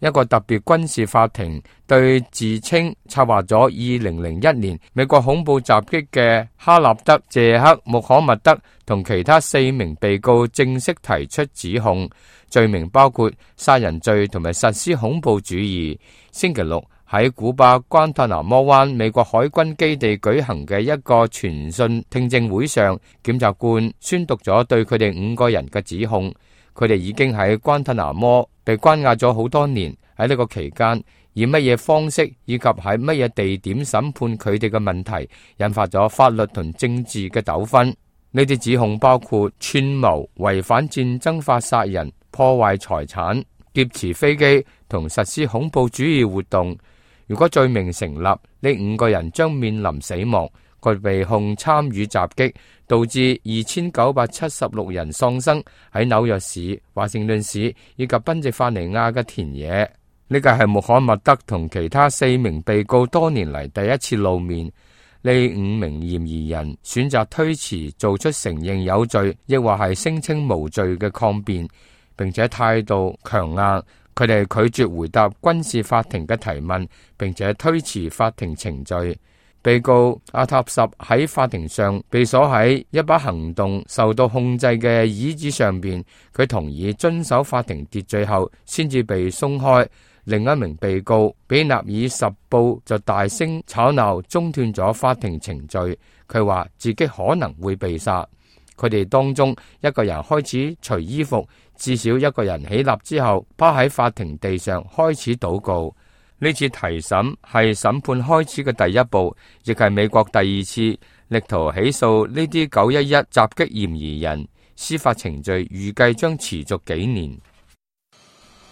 一個特別軍事法庭對自稱策劃咗2001年美國恐怖襲擊嘅哈納德·謝克·穆罕默德同其他4名被告正式提出指控，罪名包括殺人罪同埋實施恐怖主義。星期六喺古巴關塔那摩灣美國海軍基地舉行嘅一個傳訊聽證會上，檢察官宣讀咗對佢哋5個人嘅指控。佢哋已經喺關塔那摩被關押咗好多年，喺呢個期間以乜嘢方式以及喺乜嘢地點審判佢哋嘅問題，引發咗法律同政治嘅糾紛。呢啲指控包括串謀、違反戰爭法殺人、破壞財產、劫持飛機同實施恐怖主義活動。如果罪名成立，呢5個人將面臨死亡。佢被控參與襲擊，導致2976人喪生喺紐約市、華盛頓市以及賓夕法尼亞嘅田野。呢個係穆罕默德同其他4名被告多年嚟第一次露面。呢5名嫌疑人選擇推遲做出承認有罪，亦或係聲稱無罪嘅抗辯，並且態度強硬。佢哋拒絕回答軍事法庭嘅提問，並且推遲法庭程序。被告阿塔什喺法庭上被鎖喺一把行動受到控制嘅椅子上邊，佢同意遵守法庭秩序後先至被鬆開。另一名被告比納爾什布就大聲吵鬧，中斷咗法庭程序。佢話自己可能會被殺。佢哋當中一個人開始除衣服，至少一個人起立之後趴喺法庭地上開始禱告。呢次提審係審判開始嘅第一步，亦係美國第2次力圖起訴呢啲911襲擊嫌疑人。司法程序預計將持續幾年。